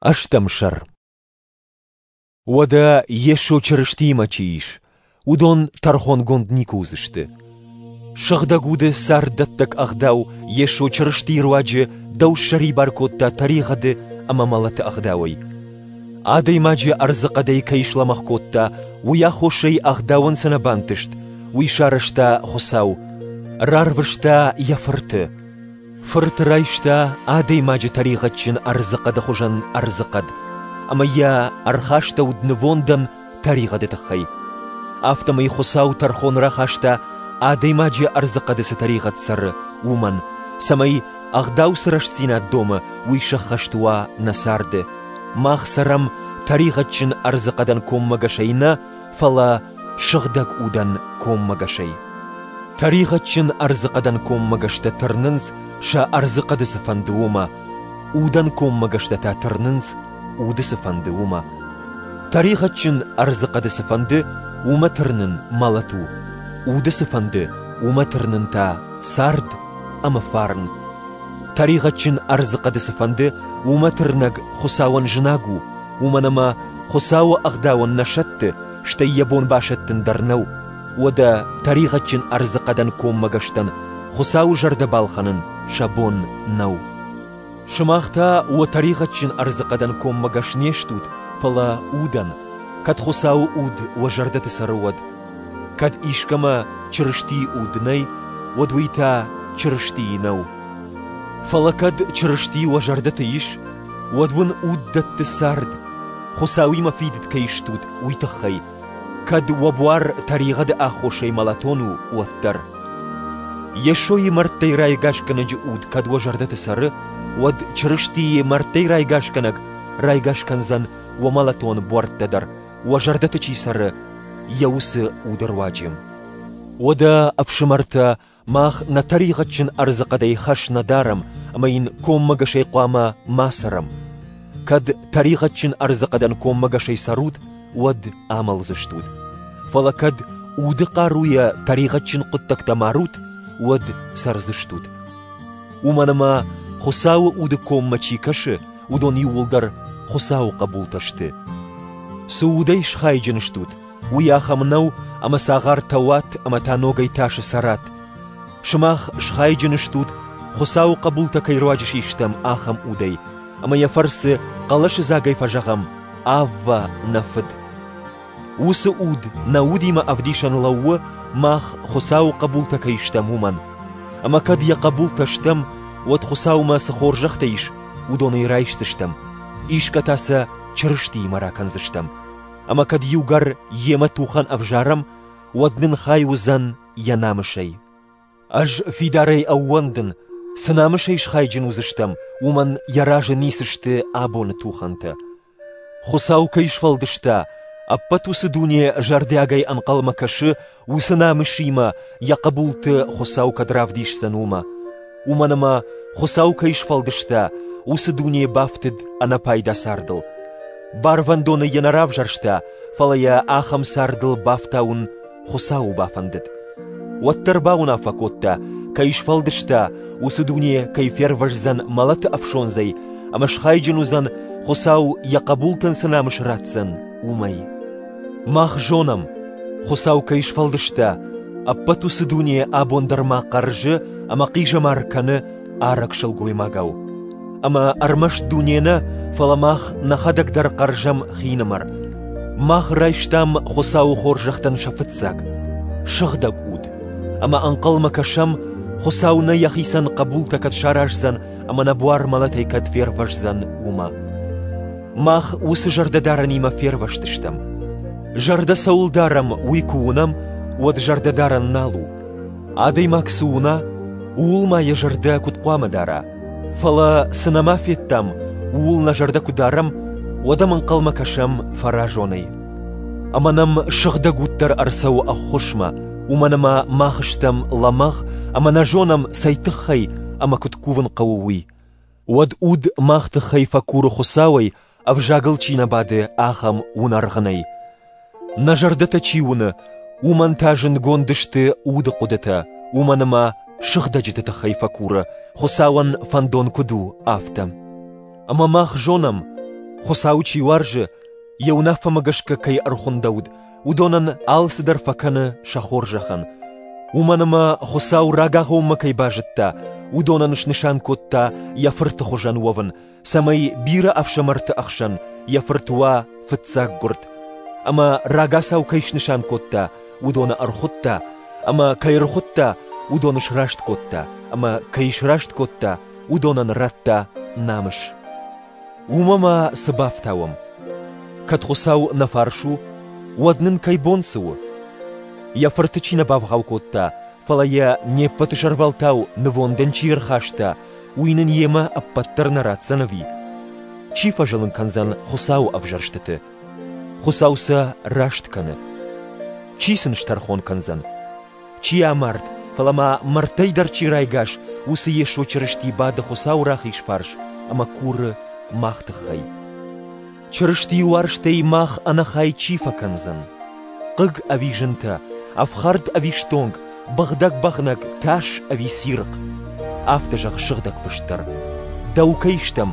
Ӕстӕм сӕр. Уӕдӕ Йесо Чырыстиимӕ чи ис, уыдон тӕрхонгонд никуы уыдзысты. Сыгъдӕг уды царддӕттӕг ӕгъдау Йесо Чырыстийы руаджы дӕу ссӕрибар кодта тӕригъӕды ӕмӕ мӕлӕты ӕгъдауӕй. Адӕймаджы ӕрдзыхъӕдӕй кӕй слӕмӕгъ кодта, уый аххосӕй ӕгъдауӕн цы нӕ бантыст, уый сарӕзта Хуыцау. Рарвыста йӕ Фырты. Фырт райста адӕймаджы тӕригъӕдджын ӕрдзыхъӕды хуызӕн ӕрдзыхъӕд, ӕмӕ йӕ ӕрхастӕуыд нывондӕн тӕригъӕды тыххӕй. Афтӕмӕй Хуыцау тӕрхон рахаста, адӕймаджы ӕрдзыхъӕды цы тӕригъӕд цӕры, уымӕн, цӕмӕй ӕгъдау цы рӕстдзинад домы, уый сӕххӕст уа нӕ царды. Мах цӕрӕм тӕригъӕдджын ӕрдзыхъӕдӕн коммӕгӕсӕй нӕ, фӕлӕ сыгъдӕг удӕн коммӕгӕсӕй. Тӕригъӕдджын ӕрдзыхъӕдӕн коммӕгӕстӕ тырнынц, сӕ ӕрдзыхъӕды цы фӕнды, уымӕ. Удӕн коммӕгӕстӕ та тырнынц, уды цы фӕнды, уымӕ. Тӕригъӕдджын ӕрдзыхъӕды цы фӕнды, уымӕ тырнын мӕлӕт у. Уды цы фӕнды, уымӕ тырнын та цард ӕмӕ фарн. Тӕригъӕдджын ӕрдзыхъӕды цы фӕнды, уымӕ тырнӕг Хуыцауӕн зынаг у, уымӕн ӕмӕ Хуыцауы ӕгъдауӕн нӕ сӕтты, стӕй йӕ бон басӕттын дӕр нӕу. Уӕдӕ тӕригъӕдджын ӕрдзыхъӕдӕн коммӕгӕстӕн Хуыцауы зӕрдӕ балхӕнын сӕ бон нӕу. Сымах та уӕ тӕригъӕдджын ӕрдзыхъӕдӕн коммӕгӕс не стут, фӕлӕ удӕн, кӕд Хуыцауы уд уӕ зӕрдӕты цӕры, уӕд. Кӕд искӕмӕ Чырыстийы уд нӕй, уӕд уый та Чырыстийы нӕу. Фӕлӕ кӕд Чырысти уӕ зӕрдӕты ис, уӕд уын уд дӕтты цард, Хуыцауимӕ фидыд кӕй стут, уый тыххӕй, кӕд уӕ буар тӕригъӕды аххосӕй мӕлӕтон у, уӕддӕр. Йесойы мӕрдтӕй райгасгӕнӕджы уд кӕд уӕ зӕрдӕты цӕры, уӕд Чырыстийы мӕрдтӕй райгасгӕнӕг райгас кӕндзӕн уӕ мӕлӕтон буӕрттӕ дӕр, уӕ зӕрдӕты чи цӕры, йӕ уыцы уды руаджы. Уӕдӕ, ӕфсымӕртӕ, Мах нӕ тӕригъӕдджын ӕрдзыхъӕдӕй хӕс нӕ дарӕм ӕмӕ йын коммӕгӕсӕй хъуамӕ ма цӕрӕм. Кӕд тӕригъӕдджын ӕрдзыхъӕдӕн коммӕгӕсӕй цӕрут, уӕд амӕлдзыстут. Фӕлӕ кӕд уды хъаруйӕ тӕригъӕдджын хъуыддӕгтӕ марут, уӕд цӕрдзыстут. Уымӕн ӕмӕ Хуыцауы уды коммӕ чи кӕсы, уыдон иууылдӕр Хуыцауы хъӕбултӕ сты. Цы удӕй схайджын стут, Уый ахӕм нӕу, ӕмӕ цагъартӕ уат ӕмӕ та ногӕй тасы цӕрат. Сымах схайджын стут, Хуыцауы хъӕбултӕ кӕй руаджы систӕм, ахӕм удӕй, ӕмӕ йӕ фӕрцы хъӕлӕсы дзагӕй фӕзӕгъӕм: Аввӕ, нӕ Фыд! Уыцы уд нӕ удимӕ ӕвдисӕн лӕууы, мах Хуыцауы хъӕбултӕ кӕй стӕм, уымӕн. Ӕмӕ кӕд йӕ хъӕбултӕ стӕм, уӕд Хуыцаумӕ цы хорзӕхтӕ ис, уыдонӕй райсдзыстӕм, исгӕ та сӕ Чырыстиимӕ ракӕндзыстӕм. Ӕмӕ кӕд иугӕр йемӕ тухӕн ӕвзарӕм, уӕд нын хай уыдзӕн йӕ намысӕй. Ӕз фидарӕй ӕууӕндын, цы намысӕй схайджын уыдзыстӕм, уымӕн йӕ разы ницы сты абоны тухӕнтӕ. Хуыцау кӕй сфӕлдыста, ӕппӕт уыцы дуне зӕрдиагӕй ӕнхъӕлмӕ кӕсы, уыцы намысимӕ йӕ хъӕбулты Хуыцау кӕд равдисдзӕн, уымӕ. Уымӕн ӕмӕ Хуыцау кӕй сфӕлдыста, уыцы дуне бафтыд ӕнӕпайда цардыл. Барвӕндоны йӕ нӕ равзӕрста, фӕлӕ йӕ ахӕм цардыл бафтауын Хуыцауы бафӕндыд. Уӕддӕр бауынаффӕ кодта, кӕй сфӕлдыста, уыцы дуне кӕй фервӕздзӕн мӕлӕты ӕфсондзӕй ӕмӕ схайджын уыдзӕн, Хуыцау йӕ хъӕбултӕн цы намыс ратдзӕн, уымӕй. Мах зонӕм, Хуыцау кӕй сфӕлдыста, ӕппӕт уыцы дуне абон дӕр ма хъӕрзы ӕмӕ хъизӕмар кӕны арӕг сылгоймагау. Ӕмӕ ӕрмӕст дуне нӕ, фӕлӕ мах нӕхӕдӕг дӕр хъӕрзӕм хинымӕр. Мах райстам Хуыцауы хорзӕхтӕн сӕ фыццаг, сыгъдӕг уд, ӕмӕ ӕнхъӕлмӕ кӕсӕм, Хуыцау нӕ йӕхицӕн хъӕбултӕ кӕд сараздзӕн ӕмӕ нӕ буар мӕлӕтӕй кӕд фервӕздзӕн, уымӕ. Мах уыцы зӕрдӕдарӕнимӕ фервӕзтыстӕм. Зӕрдӕ цӕуыл дарӕм, уый куы уынӕм, уӕд зӕрдӕдарӕн нал у. Адӕймаг цы уына, ууыл ма йӕ зӕрдӕ куыд хъуамӕ дара? Фӕлӕ цы нӕма федтам, ууыл нӕ зӕрдӕ куы дарӕм, уӕд ӕм ӕнхъӕлмӕ кӕсӕм фӕразонӕй. Ӕмӕ нӕм сыгъдӕг уд дӕр ӕрцӕуы ӕххуысмӕ, уымӕн ӕмӕ мах стӕм лӕмӕгъ ӕмӕ нӕ зонӕм, цӕй тыххӕй ӕмӕ куыд кувын хъӕуы, уый. Уӕд уд мах тыххӕй фӕкуры Хуыцауӕй, ӕвзагыл чи нӕ бады, ахӕм уынӕргъынӕй. Нӕ зӕрдӕтӕ чи уыны, уымӕн та зындгонд сты уды хъуыдытӕ, уымӕн ӕмӕ сыгъдӕджыты тыххӕй фӕкуры, Хуыцауӕн фӕндон куыд у, афтӕ. Ӕмӕ мах зонӕм, Хуыцауы чи уарзы, йӕ уынаффӕмӕ гӕсгӕ кӕй ӕрхуындӕуыд, уыдонӕн алцыдӕр фӕкӕны сӕ хорзӕхӕн. Уымӕн ӕмӕ Хуыцау рагагъоммӕ кӕй базыдта, уыдонӕн снысан кодта йӕ Фырты хуызӕн уӕвын, цӕмӕй бирӕ ӕфсымӕрты ӕхсӕн йӕ Фырт уа фыццаггуырд. Ӕмӕ рагацау кӕй снысан кодта, уыдоны ӕрхуыдта, ӕмӕ кӕй ӕрхуыдта, уыдоны сраст кодта, ӕмӕ кӕй сраст кодта, уыдонӕн радта намыс. Уымӕ ма цы бафтауӕм? Кӕд Хуыцау нӕ фарс у, уӕд нын кӕй бон цы у? Йӕ Фырты чи нӕ бавгъау кодта, фӕлӕ йӕ не ппӕты сӕрвӕлтау нывондӕн чи ӕрхаста, уый нын йемӕ ӕппӕт дӕр нӕ ратдзӕн ӕви? Чи фӕзылын кӕндзӕн Хуыцауы ӕвзӕрстыты? Хуыцау сӕ раст кӕны. Чи сын стӕрхон кӕндзӕн? Чи амард, фӕлӕ ма мӕрдтӕй дӕр чи райгас, уыцы Йесо Чырысти бады Хуыцауы рахиз фарс ӕмӕ куры мах тыххӕй. Чырыстийы уарзтӕй мах ӕнӕхай чи фӕкӕндзӕн? Хъыг ӕви зынтӕ, ӕфхӕрд ӕви стонг, быгъдӕг бӕгънӕг, тас ӕви цирхъ? Афтӕ зӕгъы Сыгъдӕг Фыст дӕр. Дӕу кӕй стӕм,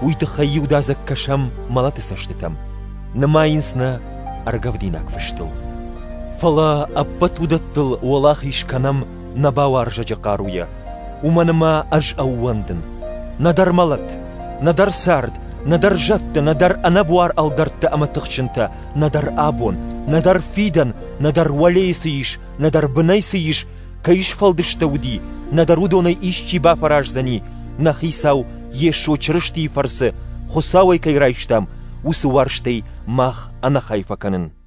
уый тыххӕй иудадзыг кӕсӕм мӕлӕты цӕстытӕм. Нымайынц нӕ ӕргӕвдинаг фыстыл. Фӕлӕ ӕппӕт уыдӕттыл уӕлахиз кӕнӕм нӕ бауарзӕджы хъаруйӕ, уымӕн ӕмӕ ӕз ӕууӕндын. Нӕдӕр мӕлӕт, нӕдӕр цард, нӕдӕр зӕдтӕ, нӕдӕр ӕнӕбуар ӕлдӕрттӕ ӕмӕ тыхджынтӕ, нӕдӕр абон, нӕдӕр фидӕн, нӕдӕр уӕлейы цы ис, нӕдӕр бынӕй цы ис, кӕй сфӕлдыстӕуыди, нӕдӕр уыдонӕй исчи бафӕраздзӕни, нӕ Хицау Йесо Чырыстийы фӕрцы Хуыцауӕй кӕй райстам, уыцы уарзтӕй мах ӕнӕхай фӕкӕнын.